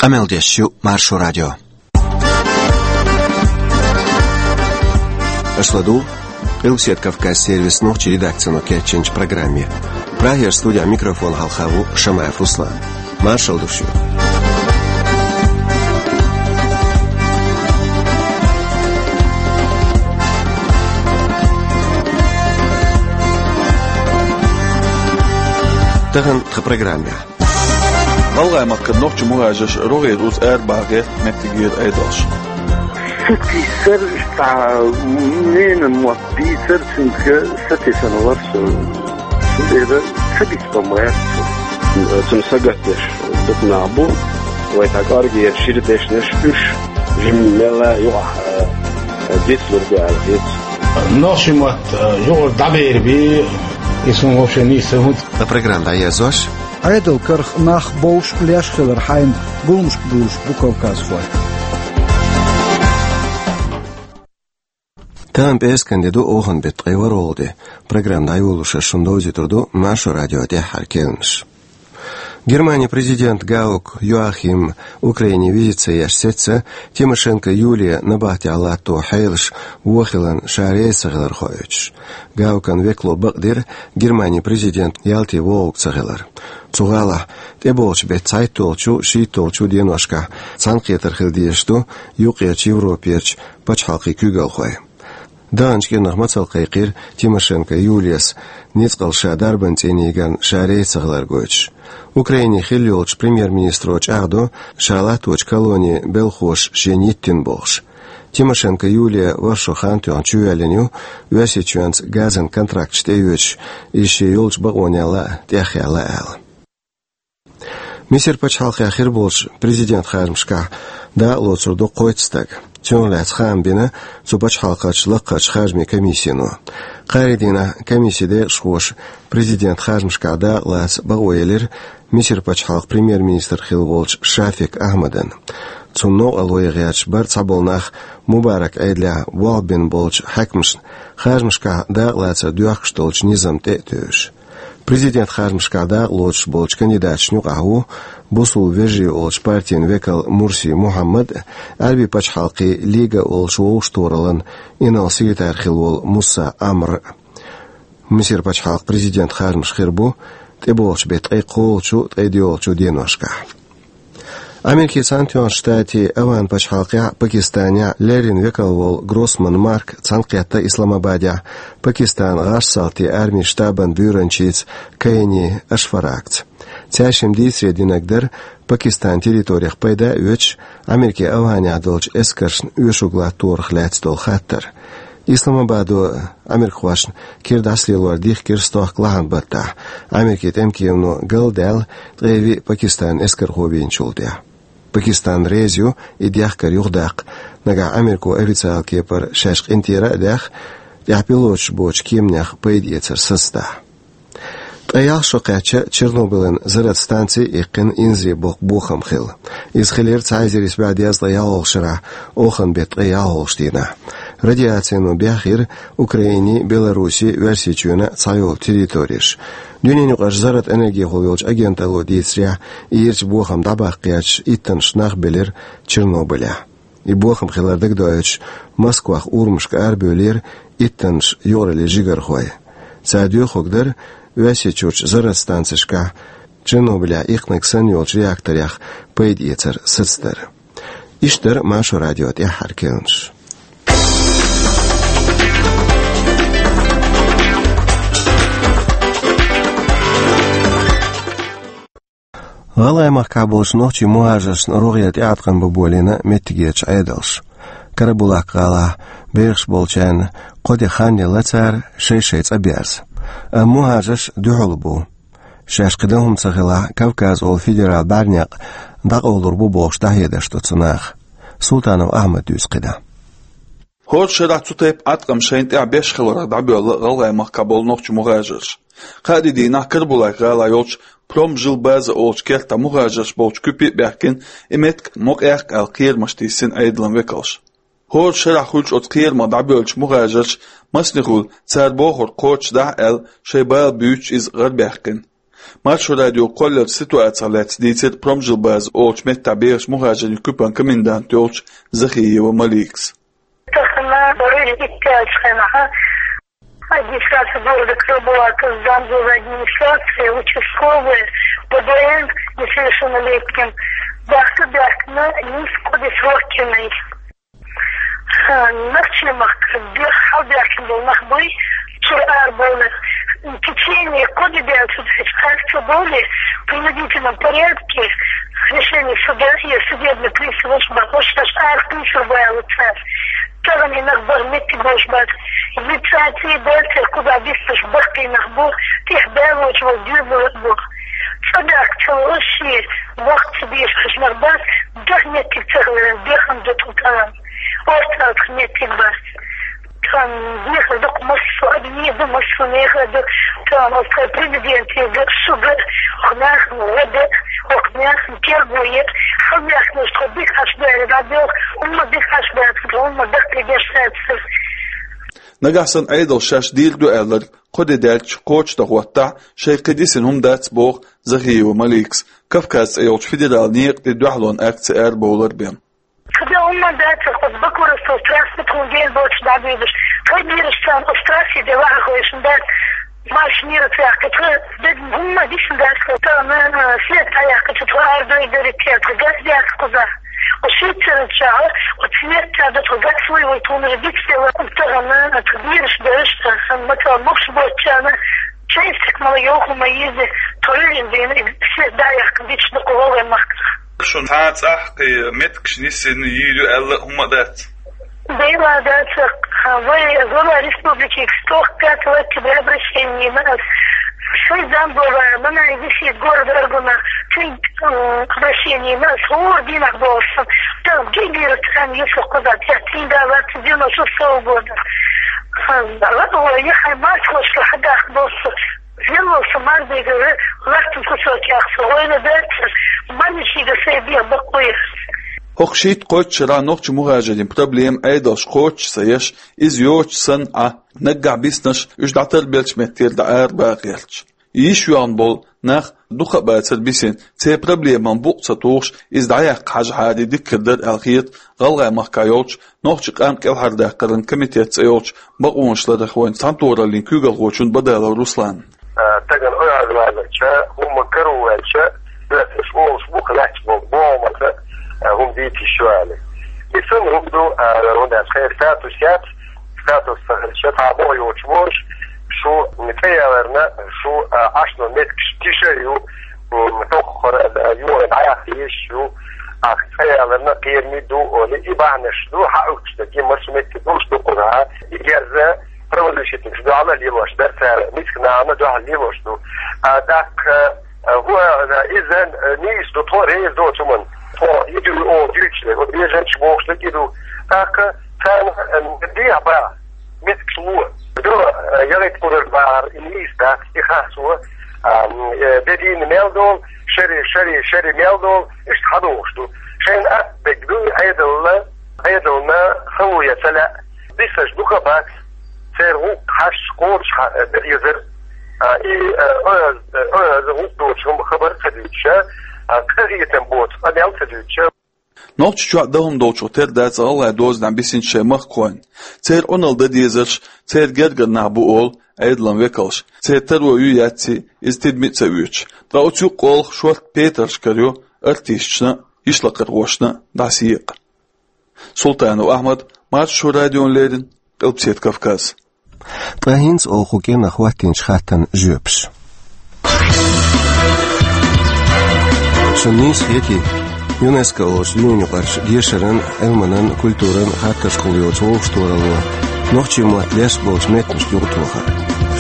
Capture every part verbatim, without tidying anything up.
Къамел деш ю Маршо радио. Аша ладугӀу Къилбаседа Кавказ сервисан нохчийн редакцино кечйинчу программе. Прагера студехь микрофон хьалха ву Шамаев Руслан. Маршалла ду шуьга. Тахана тхан программехь. ГӀалгӀай махкара нохчийн мухӀажарш рогӀера уза арабаха гӀерта меттигера Ӏедалш. Сатийсар, цхьа ненан мотт бийцар, цуьнга сатийсина вара со. Цундела ца бицбан ма яц со. Цунна сагатдеш дукха нах бу, вай тхан кӀоргера шира дешнаш, уьш жимма мелла юкъахь, а, дицлур ду аьлла хета. Нохчийн мотт, а, юкъара дӀаберабе, и суна вообще нийса ца хӀунда. Тхан программа дӀаерзош. Ӏедалан карах нах бовш а, леш а хилар хьайна гуламашка дуьллуш бу кавказхой. Тахана пӀераскан де ду, оханан беттан ткъе ворхӀалгӀа де. Программа дӀайолош шуна довзуьйтур ду Маршо радион тӀаьххьара керланаш. Германин президент Гаук Йоахим Украине визит ца еш сецца, Тимошенко Юлия набахтехь латто хьелаш вон хиларна ша реза ца хилар хоуьйтуш. Гаукан векало бакъдира Германин президент Ялте вогӀург ца хилар. Цу гӀалахь тӀебогӀучу беттан цхьайтталгӀачу, шийтталгӀачу деношкахь цхьаьнакхетар хила дезаш ду юккъерчу Европерчу пачхьалкхийн куьйгалхой. Даханчу кӀирнах мацалла кхайкхира Тимошенко Юлияс ницкъала ша дарбан цӀийнан йигарна ша реза ца хилар гойтуш. Украине хилла йолчу премьер-министро чӀагӀдо, ша латточу колонин белхош шена йиттина бохуш. Тимошенко Юлия ворхӀ шо хан тоьхна чувоьллина ю, Оьрсийчоьнца газан контракташ тӀеоьцуш, иза шен йолчу бакъонех лаа тӀехъяьлла аьлла. Мисар пачхьалкхехь хир болчу президент харжамашкахь дакъалоцур ду кхойтта стаг. Цунах лаьцна хаам бина цу пачхьалкхерчу лакхарчу харжамийн комиссино. Кхаарин дийнахь комиссин декъашхоша президент харжамашкахь дакъалаца бакъо елира Мисар пачхьалкхан премьер-министр хилла волчу Шафик Ахьмадна. Цунна новкъарло ян гӀерташ бара цхьаболу нах Мубарак Ӏедалехь болх бина болчу хьаькамашна харжамашкахь дакъалацар доьхкуш долчу низам тӀе а тевжаш. Президент харжамашкахь дакъалоцуш болчу кандидаташна юкъахь ву Бусулба вежарий олучу партин векал Мурси Мухьаммад а, Ӏаьрбийн пачхьалкхийн Лига олуш вовшахтохараллан инарла секретарь хилла волу Мусса Амр а. Мисар пачхьалкхан президент харжамаш хир бу тӀебогӀучу беттан ткъе кхоалгӀачу, ткъе доьалгӀачу деношкахь. Америкин Цхьаьнатоьхначу Штатийн ОвхӀан пачхьалкхехь а, Пакистанехь а леррина векал волу Гроссман Марк цхьаьнакхетта Исламабадехь Пакистанан гӀазкхийн салтийн армин штабан буьйранчица Кайни Ашфаракца. Цаьршимма дийцаре динарг дара Пакистанан территорих пайда а оьцуш, Америкин ОвхӀанехь долчу эскаршна оьшург латтарх лаьцна долу хаттар. Исламабадо америкахошна кира дӀасалелор дихкира стохка лахьан баттахь, Америкин тӀеман кемано галдаьлла ткъе виъ Пакистанан эскархо вийначул тӀаьхьа. Пакистан реза ю и дехкар юхадаккха, нагахь Америко официалан кепара шаьш къинтӀера а даьхна, тӀехь пилоташ боцучу кеманех пайда эцар сацадахь. Ткъе ялх шо кхаьчча, Чернобылан зарратан станци а иккхина, инзаре боккха бохам хилла. Иза хилира цхьа эзар исс бӀе дезткъе ялхолгӀачу шарахь, оханан беттан ткъе ялхолгӀачу дийнахь. Радиацино бехйира Украинин, Беларусин, Оьрсийчоьнан а цхьайолу территореш. Дуьненаюкъарчу зарратан энергехула йолчу агенталло дийцарехь, и ирча бохам дӀабаккха гӀерташ иттаннаш нах белира Чернобылехь. И бохам хилар дагадоуьйтуш, Москвах урамашка арабевлира иттаннаш юкъараллин жигархой. Цара доьхург дара Оьрсийчуьрчу зарратан станцешкахь Чернобылехь иккхинарг санна йолчу реакторех пайда эцар сацадар. Иштта дара Маршо радион тӀаьххьара керланаш. ГӀалгӀай махкахь болчу нохчийн мухӀажаршна рогӀера тӀеӀаткъам бан болийна меттигерчу Ӏедалша. Карабулак-гӀалахь бехаш болчарна кхо де хан елла цара шай-шай цӀа берза. Амма мухӀажарш дуьхьал бу. Шаьш кхин дан хӀума ца хилахь, Кавказ олу федералан бӀаьрнекъ дӀакъовлур бу бохуш дӀахьедаш ду цу наха. Султанов Ахьмада дуьйцу кхидӀа. ХӀора шарахь цу тайпа Ӏаткъам шайна тӀехь беш хиларх дӀабоьлла ГӀалгӀай махкахь болу нохчийн мухӀажарш. Кхаа де дийнахь Карабулак-гӀалахь йолчу Промжилбаза олучу кертахь мухӀажарш болчу куьпе а баьхкина, и меттиг ма къехка аьлла кхерамаш тийсина Ӏедалан векалша. ХӀора шарахь хуьлучу оцу кхерамах дӀабоьллучу мухӀажарша, масане хуьлу, цара бохург кхочушдахь аьлла, шайн бала буьйцуш иза гӀарабаьккхина. Маршо радиога кхолларчу ситуацех лаьцна дийцира Промжилбаза олучу меттехь бехачу мухӀажарийн куьпан комендант йолчу Захиева Маликас. Тахана барыш иккаьлчхьана администрация города Карабулака, замглавы администрации, участковые, Б Б Н несовершеннолетним, бахка бяхкана ниско бесроккиной. Нахчемахка бех хьалбаьхкина болу нах буй, чуьра арабовлар. Течение кхо де даьлла цу тӀехь цхьаьрца бовле, в принудительном порядке решение суда и судебный приставаш бахош, аш арахкхуьйсур бу аьлла цара. Тахана и нах бара меттиг болуш бац. Инициатива баьлла церан кхузахь биснарш баккхий нах бу, тӀехь баьллачу вала доьзалш бу. Цкъа баьхка ца ло аш шен, вахт ца дезаш нах бац, даха меттиг ца хиларан, бехан ду тхо тахана. Орцалцах меттиг бац. Тхан дехар ду-кх массо а, ду массо а мехар ду. Тхан оцу тхайн президентега, шуьга, хӀокху нахана гӀо де, хӀокху нахана терго е, хьалмехканаш тхо дика Ӏаш баьлла дӀабоьлху, хӀумма дика Ӏаш баьлла, хӀумма даккхий деш дац. Нагахь санна Ӏедал шаьш дийр ду аьлларг кхо де даьлча кхочушдан хӀоттахь, шайн кхин дисина хӀума дац, боху Захиева Маликас, Кавказ цӀе йолчу федералан некъа тӀе дуьхьалонан акци арабовлар бен. Кхидолу хӀумма дац, оцу Бакуровского трасса тхуна гена боцуш дӀабуьйлуш. Тхайн бераш царна оцу трассе де ваха хойшина дац, марш мира цӀе яхкича, де хӀумма дисина дац, тахана свет дӀаяьккхича, тхо арадойла дерриг а, тхо газ яц кхузахь. Оцу шийтта церан чохь, оцу свет ца до, тхо газ вуй, вуй тхуна дицделла, тахана тхо бераш бераш, сан ма ца мукш боцучарна, чайсик мала йоху ма йизи, тхо ревен дийна, свет дӀаяьккхина дича ду кху гӀалгӀай махках. Шуна цхьа а цӀахь кхин меттигаш нисдина йийр ю аьлла а хӀумма а дац. Дела дац, вай глава республики стохка пятого октября обращение йина ас. Шайн замглава, мана висит город Аргуна, цуьнга, м, обращение йина ас, хӀора дийнахь бохуш сан. Там гигера царна юсу кхуза, цуьнга вац девяносто шестого года. Ладно, я хай март хошка хьадахка боху. Верло со марбигара латтан кусок яхса, вайна дацар, марнишига сай бех бакъвайра. ХӀокху шийтта-кхойтта шарахь нохчийн мухӀажарийн проблема Ӏедалша кхочуш ца еш, иза йоцуш санна Ӏа, наггахь биснарш уьш дӀатарбеллачу меттера дӀа арабаха гӀерташ. Йиш йоьхна болу нах дукха а бацара бисина, церан проблеман букъ ца тухуш, иза дӀаяккха хьажахьара диккхир дара аьлла хета ГӀалгӀай махкахь йолчу Нохчийн къам кӀелхьардаккхаран комитет цӀе йолчу бакъонаш ларъярхойн цхьаьнатохараллин куьйгалхочунна Бадалов Русланна. А, стагана оьгӀазваьлча, хӀумма каро ваьлча, оьрсаша олуш бу-кх лаьтташ болу бохамца, а, хӀума дийца йиш ю аьлла. И санна хӀума ду, а, хӀунда аьлча хӀара статус яц, статус ца хилча, цхьа боху йоцуш волуш, шу цӀе яларна, шу, а, Ӏаш долу меттигаш тиша а ю, м, тоххара, а, юха дӀаяхьа езаш ю, ахь цӀе яларна кхераме ду, олий, и бахьанаш ду, хьан уьттуш дерг, и массо а меттиг долуш ду кхузахь, и герза правозащитникаш дуьхьал а лелош дара цара, мискачу нахана дуьхьал лелош ду. А тӀаккха, а, хӀу, а, иза, а, нийса ду, тхо реза доцу хӀуманна, тхо и дуьйна оха дуьйцуш дерг, оцу бежанчаш бохуш дерг и ду. ТӀаккха царна, а, дехьа баха меттигаш ло. Ду, а, ялийта кхурар бахар, и нийса дац, и харцо, а, м, э, де дийна мел долу, шаре, шаре, шаре мел долу, иштта хьадогӀуш ду. Шайна атта дерг дуй, Ӏедална, Ӏедална хало ян ца лаьа, бисаш дукха а бац, церан гӀуллакх хьаьжча кхочуш хьа-, э, дезара, а, и, э, оьз-, э, оьза гӀуллакх доцу хӀума хабар ца дуьйцуша, а, къахетам боцу къамел ца дуьйцуша. Нохчийчохь дан хӀума долчух тера дац гӀалгӀай дозанехь бисинчу шайн махкахойн. Церан Ӏуналла дан дезарш церан гергара нах бу олу Ӏедалан векалш. Церан таро ю яций, иза тидаме а ца оьцуш. Ткъа оцу юккъехула шорта петарш карайо артисташна а, йишлакхархошна а дӀасаекъа. Султанов Ахьмад, Маршо радиона леррина, Къилбаседа Кавказ. Ткъа хӀинца оха кху кӀирнах хӀоттийначу хаттарна жоьпаш. Шуна нийса хетий, ЮНЕСКО олучу дуьненаюкъарчу дешаран, Ӏилманан, культуран хаттаршкахула йоцу вовшахтохаралло нохчийн мотт леш болчу меттанашна юкъатохар?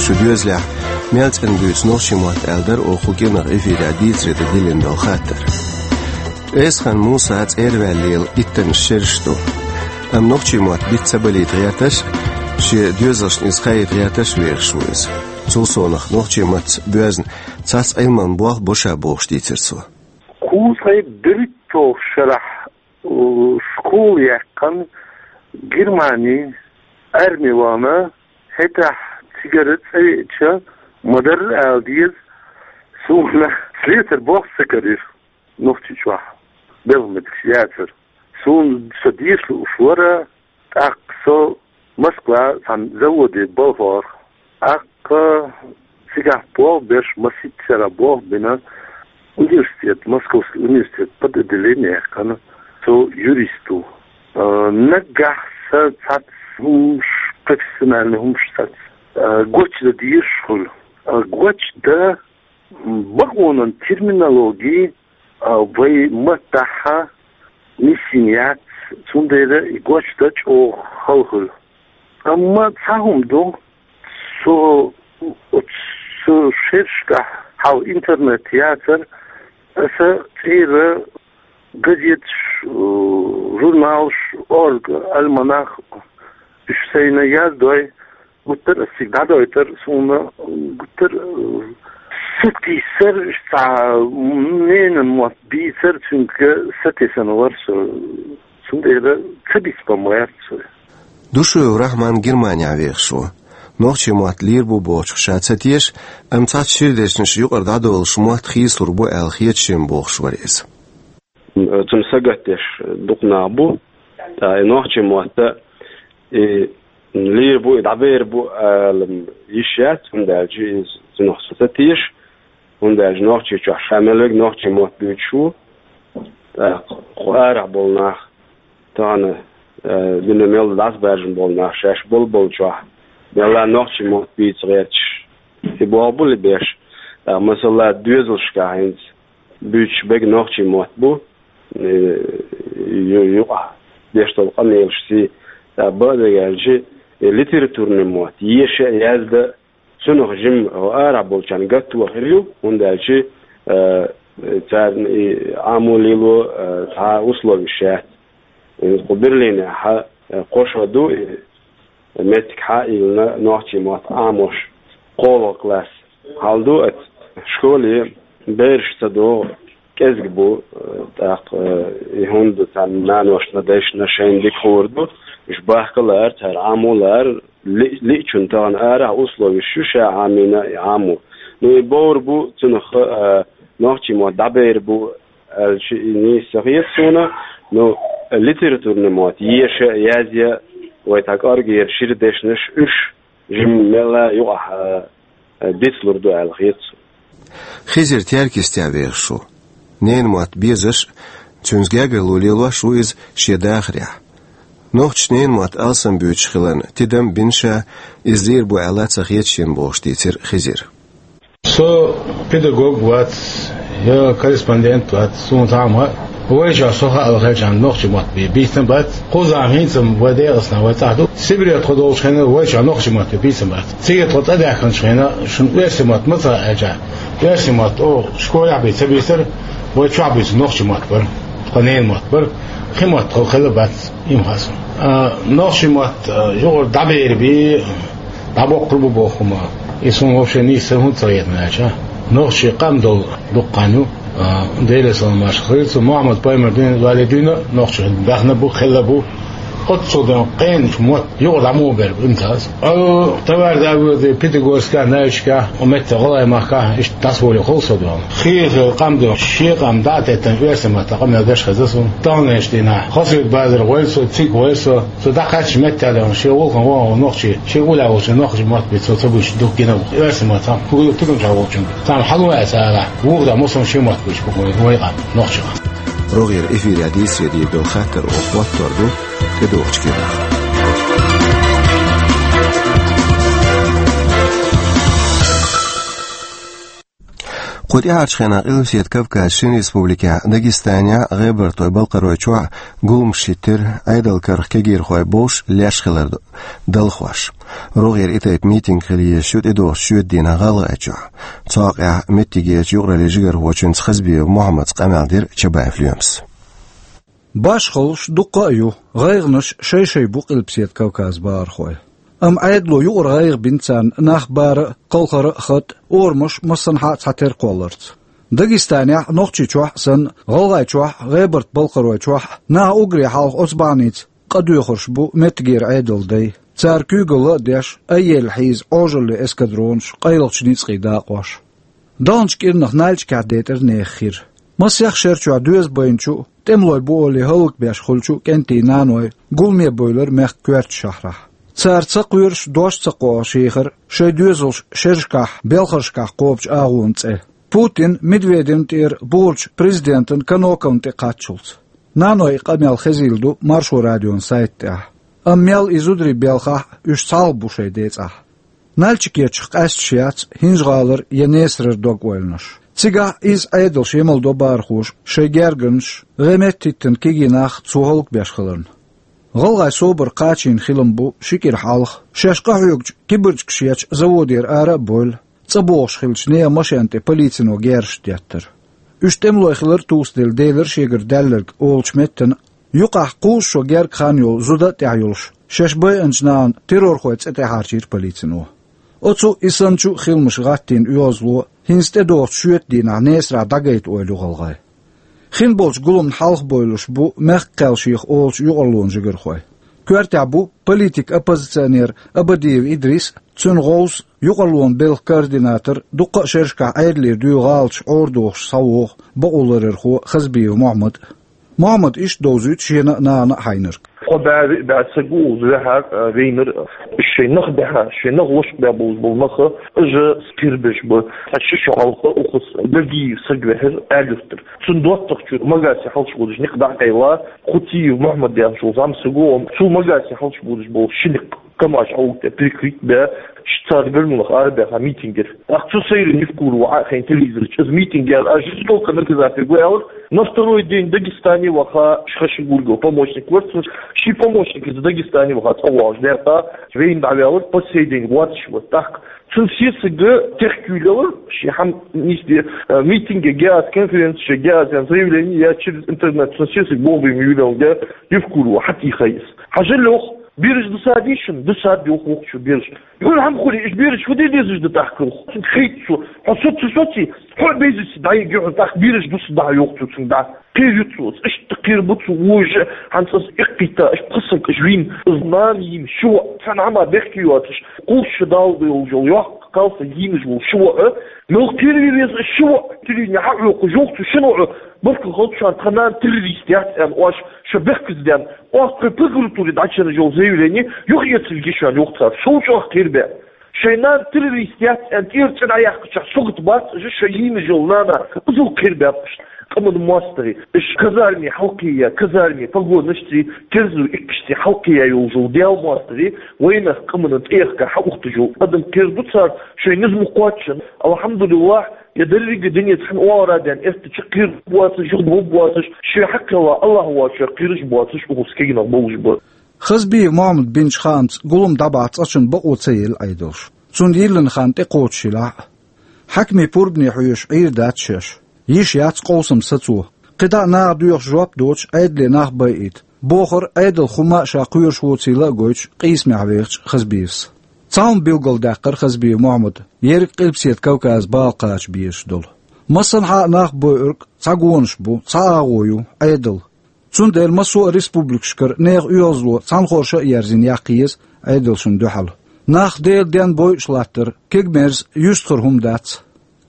Шун доьзалехь мел цӀена буьйцу нохчийн мотт аьлла дара оха кху кӀирнах эфирехь дийцаре тӀедиллина долу хаттар. Эсхан Муса цӀерваьлла лела иттаннаш шераш ду. Амма нохчийн мотт биц ца балийта гӀерташ а, шен доьзалшна иза кхаийта гӀерташ а вехаш ву иза. Цул совнаха нохчийн маттаца боьзна цхьацца Ӏилманан болх бо ша бохуш дийцира цо. Кхузткъе берхӀитталгӀачу шарахь, у, школа яьккхина Германи, арми вахана, хӀетахь цигара цӀа веача, ма-дарра ала деза, Суна слесарь болх ца карийра Нохчийчохь, белхан медикаш яцара. Суна со деша лууш вара, тӀаккха со Москва цхьана заводе балхара. ТӀаккха цигахь болх беш, масийтта шера болх бина, университет, Московский университет под отделение яьккхина со юристу. А, наггахь сан цхьацца хӀумаш, профессиональный хӀумаш цхьацца, а, гочдан дезаш хуьлу. А, гочдан бакъонан терминологи, а, вай маттахь нисйина яц, цундела и гочдан чӀогӀа хала хуьлу. Амма цхьа хӀума ду, со оцу шерашкахь хьал интернет яцара, аса цӀера газеташ, э, журналаш, орга, альманах, уьш сайна яздой, гуттар а цига дӀадойтар, суна гуттар а сатийсар, цхьа ненан мотт бийцар, цуьнга сатесна вара со. Цундела ца бийца бан ма яц со. Душуев Рахьман Германехь вехаш ву. Нохчийн мотт лийр бу бохучух ша ца теша, амма цхьацца шира дешнаш юкъара дӀадолуш мотт хийцалур бу аьлла хета шена бохуш вара иза. Цунна сагатдеш дукха нах бу, ткъа и нохчийн мотт, и лийр бу, и дӀабер бу ала йиш яц, хӀунда аьлча иза цунах со ца теша, хӀунда аьлча Нохчийчохь ша мел верг нохчийн мотт буьйцуш ву, ткъа кху арахь болу нах, тахана, э, дуьне мел дӀасабаьржина болу нах шаьш болу-болчохь, мелла нохчийн мотт бийца гӀерташ, и болх бу ле беш, ткъа масала доьзалшкахь хӀинца буьйцуш берг нохчийн мотт бу, э, ю-, юкъахь деш долу къамелаш сий, ткъа бакъдерг аьлча, и литературный мотт, еша а, яздан а, цунах жимма арахь болчарна гатто хир ю, хӀунда аьлча, э, царна и Ӏамо лело, э, цхьа условиш яц. Э, кху Берлинехь, э, кхо шо ду, и меттиг хьа а йиллина нохчийн мотт Ӏамош, кхоалгӀа класс. Хьал ду оцу школе бераш ца догӀу, кӀезиг бу, э, тӀаккха, э, и хӀунда царна наношна, дайшна шайна дика хуур ду, уьш бахка а лаара, цара Ӏамо а лаара, ли-, лиъчунна тахана арахь условиш ю ша Ӏамийна и Ӏамо. Ну, и бовр бу, цунах, э, нохчийн мотт дӀабер бу аьлча, и нийса ца хета суна, ну, литературный мотт, еша а, язъян а, вай цхьа кӀоргера шира дешнаш, уьш жимма мелла юкъахь, э, э, бицлур ду аьлла хета суна. Хизир Теркйистехь вехаш ву. Ненан мотт безаш а, цуьнца гергарло лелош а ву иза шен дахарехь. Нохчаша ненан мотт алсам буьйцуш хиларна тидам а бина ша, иза лийр бу аьлла ца хета шена бохуш дийцира Хизира. Со педагог вац, я корреспондент вац, суна цхьа а ма, вайшкахь со хаалахь хилчахьана нохчийн мотт бий-, бийцина бац. Кхузахь хӀинца-м вай Дегастан вай цӀахь ду. Сибре тхо долчу хенахь вайшкахь нохчийн мотт бийцина бац. Цига тхо цӀа даьхкинчу хенахь шуна оьрсийн мотт ма ца аьлча, оьрсийн мотт оха школехь бийца ца бийцара, вай чохь буьйцу нохчийн мотт бара, тхан ненан мотт бара, кхин мотт тхо хилла бац, и ма хаьа суна. А, нохчийн мотт, а, юкъара дӀабер бий, дӀабоккхур бу боху хӀума. И суна вообще нийса хӀунда ца хетина аьлча, нохчийн къам долу дуккха хан ю, а, Делера салам-маршалла хуьлда цунна, Мухьаммад-пайхамар дуьйна вале дуьйна а, нохчийн баьхна бу, хилла бу. Оццул ден кхечу мотт юкъара дӀа муха бер бу, имтаз. Алло, товарищ Давыдов, Пятигорскехь, Нальчикехь, оцу меттехь, ГӀалгӀай махкахь, иштта дӀасаволийла хуьлу со дуьйна. Хийхила къам ду, шен къам дӀа а теттина, оьрсийн маттахь къамел деш хезна суна. Таханлерчу дийнахь Хасавюрт базар гӀойла со, цига гӀойла со. Со дӀакхаьчча меттехь а, шен гӀуллакхана вахана волу нохчий, шен уллехь волчу нохчийн мотт бен цо ца буьйцуш дукха гина ву. Оьрсийн маттахь, кху тигамчохь волчунна. Царна хьала ваьлла цара, вукху дӀа массо а шен мотт буьйцуш бу вай къам, нохчийн къам. РогӀера эфирехь дийцаре дийр долу хаттар оха хӀоттор ду тӀедогӀучу кепара. Кху тӀаьхьарчу хенахь Къилбаседа Кавказан шина республикехь Дагестанехь а, ГӀебарта-Балкхаройчохь а гуламаш хӀиттира, Ӏедалан карах кегийрхой бовш леш хилар далхош. РогӀера и тайпа митинг хила езаш ю тӀедогӀучу шоьтан дийнахь ГӀалгӀайчохь. Цу хьокъехь меттигерчу юкъараллин жигархочуьнца Хазбиев Мухьаммадца къамел дира Чабаев Лоьмас. Башхаллаш дуккха а ю, гӀайгӀанаш шай-шай бу Къилбаседа Кавказан бахархойн. Амма Ӏедало юкъара гӀайгӀа бина царна нах бара а, кхалхара а, хатӀ а, орамаш массанхьа а цхьатерра кхолларца. Дагестанехь а, Нохчийчохь а санна, ГӀалгӀайчохь а, ГӀебарта-Балкхаройчохь а наха уггаре хьалха оцу бахьаница къа доьхурш бу меттигера Ӏедалан дай. Цара куьйгалла а деш, айъелла хьийза Ӏожаллин эскадронаш, къайлахчу ницкъийн дакъош. Даханчу кӀирнах Нальчикехь декъаза нехан хир. Масех шерчохь доьза байначу а, тӀемалой бу олий хӀаллакбеш хуьлучу а кӀентий наной гуламе бевлира мехкан коьртачу шахьарахь. Цара ца кхоьруш, дош ца кхоахуш ехара шайн доьзалш шерашкахь, белхаршкахь кхобучу агӀонан цӀе. Путин, Медведевна тӀера бухарчу президентан Каноковна тӀе кхаччалц. Наной и къамел хезийла ду Маршо радион сайта тӀехь. Амма мел и зударий белхахь а, уьш цхьалха бу шайн децӀахь. Нальчикечух къаьсташ яц ХӀинжа-ГӀалара я Несарара дог-ойланаш. Цигахь а изза Ӏедалш ямалдо бахархоша шайн гергарнаш, гӀеметта хӀиттина кегий нах цо хӀаллакбеш хиларна. ГӀалгӀайн собар кхачийна хилам бу ши кӀира хьалха, шаьш къахьоьгучу кибарчкаш ечу заводера ара а бевлла, цӀа богӀуш хиллачу нехан машен тӀе полицино герзаш деттара. Уьш тӀемалой хилар а тосаделла делира шегара даьлларг олучу меттана а, юкъахь кхузза шо герга хан йолу зуда а тӀехь йолуш, шаьш байинчу нахана террорхойн цӀе тӀехьарчийра полицино. Оцу а, и санначу а хиламаша гӀаттийна оьгӀазло хӀинца тӀедогӀучу шоьтан дийнахь Несарахь дӀагайта ойла ю гӀалгӀайн. Хин болчу гуламна хьалха бевллаш бу мехкан кхел шеха олучу юкъарлонан жигархой. Коьртехь бу политик-оппозиционер Абадиев Идрис а, цуьнан гӀовс а, юкъарлонан белхан координатор, дуккха а шерашкахь Ӏедалера дуьйна гӀалаташ Ӏорадохуш схьавогӀу бакъоларъярхо Хазбиев Мохьмад а. Мохьмада иштта довзуьйту шена а, нахана а хьайнарг. Кхо бӀе, виъ бӀе саг ву уза вехьар, а, вейнар, а, шайн нах баьхьа, шайн нах лошкъа баьбулуш болу нах, а, жа кхерабеш бу. Цхьа ши шо хьалха укхаза Гагиев саг вехьар Аьлла-Юьртара. Цунна доттагӀчуьра Магасе хьалчбудаш некъ дӀа а къайла, Хутиев Мохьмад яхаш волу зӀамсаг ву, цул Магасе хьалчбудаш болу ши некъ КамАЗ Ӏовга тӀе прикрыть бе, цара Гармунах арабаьхна митингера. ТӀаккха цу сайран Евкурова Ӏа а хайна телевизор чу, иза митинг яьлла, а жестоко наказать ву аьлла, на второй день Дагестане ваха, ши-ши гургал помощник вара цуьнан, ши помощник иза Дагестане ваха цӀа вогӀуш даьрта, вейна дӀаваьлла, по сей день воцуш вара. ТӀаккха цуьнан сесаг техкуьйлалар, шен хьан нисде, э, митинге геаз, конференция геаз, заявление я через интернет, цуьнан сесаг боху бен юьйлалга, Евкурова хьатийхай иза. Хьажа лох, бераш дусадийшина, дусад йоху вокхучу бераш. Юха хьан хуьли, иш бераш хӀун де дезаш ду тӀаккха? Цуьнга хайтта цо. Хьо со ца соций, хьо а безаца дӀайига юьхьа тӀаккха бераш дуса дӀа йоху цо цуьнга дӀа. Кхер ю цо, иштта кхер бу цо вожа, хьан цӀа иккхийтта, аш пхасанка аш вийна, из нана йийна, ши воӀ, цхьана хӀама бехке йоцуш, кхулш шу дала йолу йоккха кхалса йийнаш волу ши воӀ, мел кхер ве веза ши воӀ, тилийна хьан хьокху жоху цу шина воӀ, баркалла хӀалчу шуна тхан нана террорист яц аьлла, ош шу бехказа ден, Оцу тхайн прокуратуре дӀачарна йолу заявление юха эцалла гича йоху цара, шул чӀогӀа кхербаьа. Шайн нана террорист яц аьлла, тӀера цӀе дӀаяьккхичахь, согат бац, аша шайн йийна йолу нана, иза кхербаьб аша. Къаман мостагӀий, аша казарме хьалкхея, казарме, погонашций, терзо иккашций хьалкхея йолу йолу Дела мостагӀий, вайнах къаманан тӀехка хьан ухташ йолу адам кхер ду цара, шайн низам кхоччун. Алхьамдулиллахь, я дерриге дуьне цхьана охьара а ден, эстачу кхир боцуш, юха бу боцуш, шен хьакхелла Аллахь воцуш, кхираш боцуш, укхус кегнах болуш бу. Хазбиев Мохьмад бинчу хаамца гулам дӀабахьа цкъачунна бакъо ца елла Ӏедалш. Цунна йиллина хан тӀекхочуш елахь а. Хьаькамийн пурбане хьоьжуш Ӏийр дац шаьш. Йиш яц къовсам сацо. КхидӀа а наха доьхуш жоп доцуш Ӏедале нах байийта, бохура Ӏедал хӀумма а ша кхоьруш воцийла а гойтуш къийсамехь вехачу Хазбиевс. Цхьа хӀума билгалдаьккхира Хазбиев Мохьмада, ерриг Къилбаседа Кавказан бала кхача безаш долу. Массанхьа а нах бойург цхьа гонаш бу, цхьа агӀо ю, Ӏедал. Цундела массо а республикашкара нехан оьгӀазло цхьанхорша а ерзийна яккха еза Ӏедалшна дуьхьал. Нах Делан денна бойуш латтар кегамерза, юьстахара хӀума дац.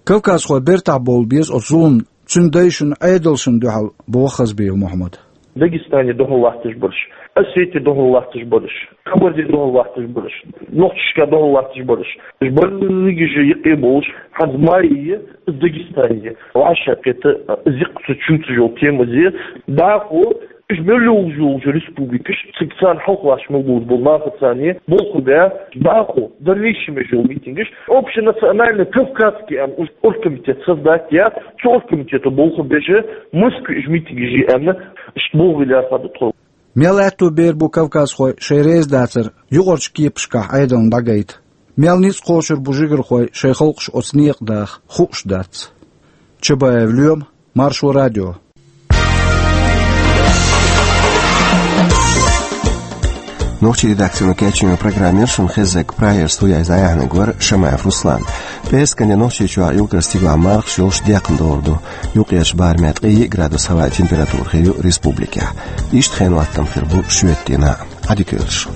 Кавказхой бертахь бовла беза оцу зуламна, цуьнан дайшна, Ӏедалшна дуьхьал, боху Хазбиев Мохьмада. Дагестане дуьхьал латташ бараш, Осетия дуьхьал латташ бараш, Кабарде дуьхьал латташ бараш, Нохчашка дуьхьал латташ бараш. Уьш берригаш а юкъе болуш, хьан Майе, Дагестане вӀашагӀкхета, зиккха ца чуьйцуш йолу тема зе, дӀахо, уьш мел йолуш йолчу республикаш, цига царна хьалхалаш мел долуш болу нахаца болх бе, дӀахо, дальнейший меш йолу митингаш, общенациональный кавказский аьлла, уьш оргкомитет создать я, цу оргкомитето болх беш, Москве уьш митингаш е аьлла, уьш болх бе лаьрхӀа ду тхо. Мел аьтто бер бу кавказхой шайн реза дацар юкъарчу кепашкахь Ӏедална дӀагайта. Мел ницкъ кхочур бу жигархой шайн халкъаш оцу некъа даха, хууш дац. Чабаев Лоьма, Маршо радио. Нохчийн редакцино кечйина программа яра шуна хезнарг, прагерчу студехь иза дӀаяьхьнарг вара Шамаев Руслан. ПӀераскан де Нохчийчохь уггар стигалахь мархаш йолуш декхна догӀур ду. Юккъерчу барамехь ткъе йиъ градус хӀаваан температура хир ю республикехь. Иштта хенан хӀоттам хир бу шоьтан дийнахь. Ӏадика йойла шун.